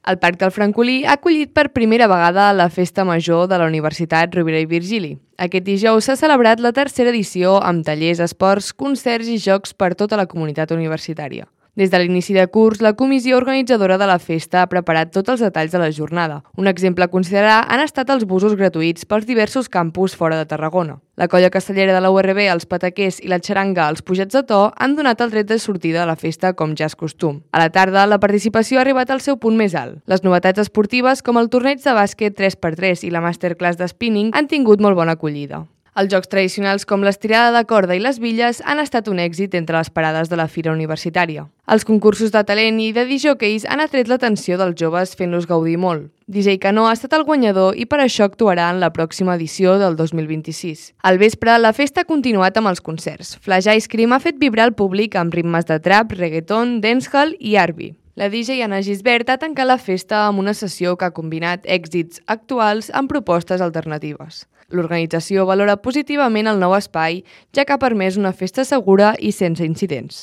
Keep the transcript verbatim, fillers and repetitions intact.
El Parc del Francolí ha acollit per primera vegada la Festa Major de la Universitat Rovira i Virgili. Aquest dijous s'ha celebrat la tercera edició amb tallers, esports, concerts i jocs per tota la comunitat universitària. Des de l'inici de curs, la comissió organitzadora de la festa ha preparat tots els detalls de la jornada. Un exemple a considerar han estat els busos gratuïts pels diversos campus fora de Tarragona. La colla castellera de la U R B, els pataquers i la xaranga als Pujats de To han donat el tret de sortida de la festa com ja és costum. A la tarda, la participació ha arribat al seu punt més alt. Les novetats esportives, com el torneig de bàsquet tres per tres i la masterclass de spinning, han tingut molt bona acollida. Els jocs tradicionals com l'estirada de corda i les billes han estat un èxit entre les parades de la fira universitària. Els concursos de talent i de disjòqueis han atret l'atenció dels joves fent-los gaudir molt. D J Cano ha estat el guanyador i per això actuarà en la pròxima edició del dos mil vint-i-sis. Al vespre, la festa ha continuat amb els concerts. Flash Ice Cream ha fet vibrar el públic amb ritmes de trap, reggaeton, dancehall i R and B. La D J Anna Gisbert ha tancat la festa amb una sessió que ha combinat èxits actuals amb propostes alternatives. L'organització valora positivament el nou espai, ja que ha permès una festa segura i sense incidents.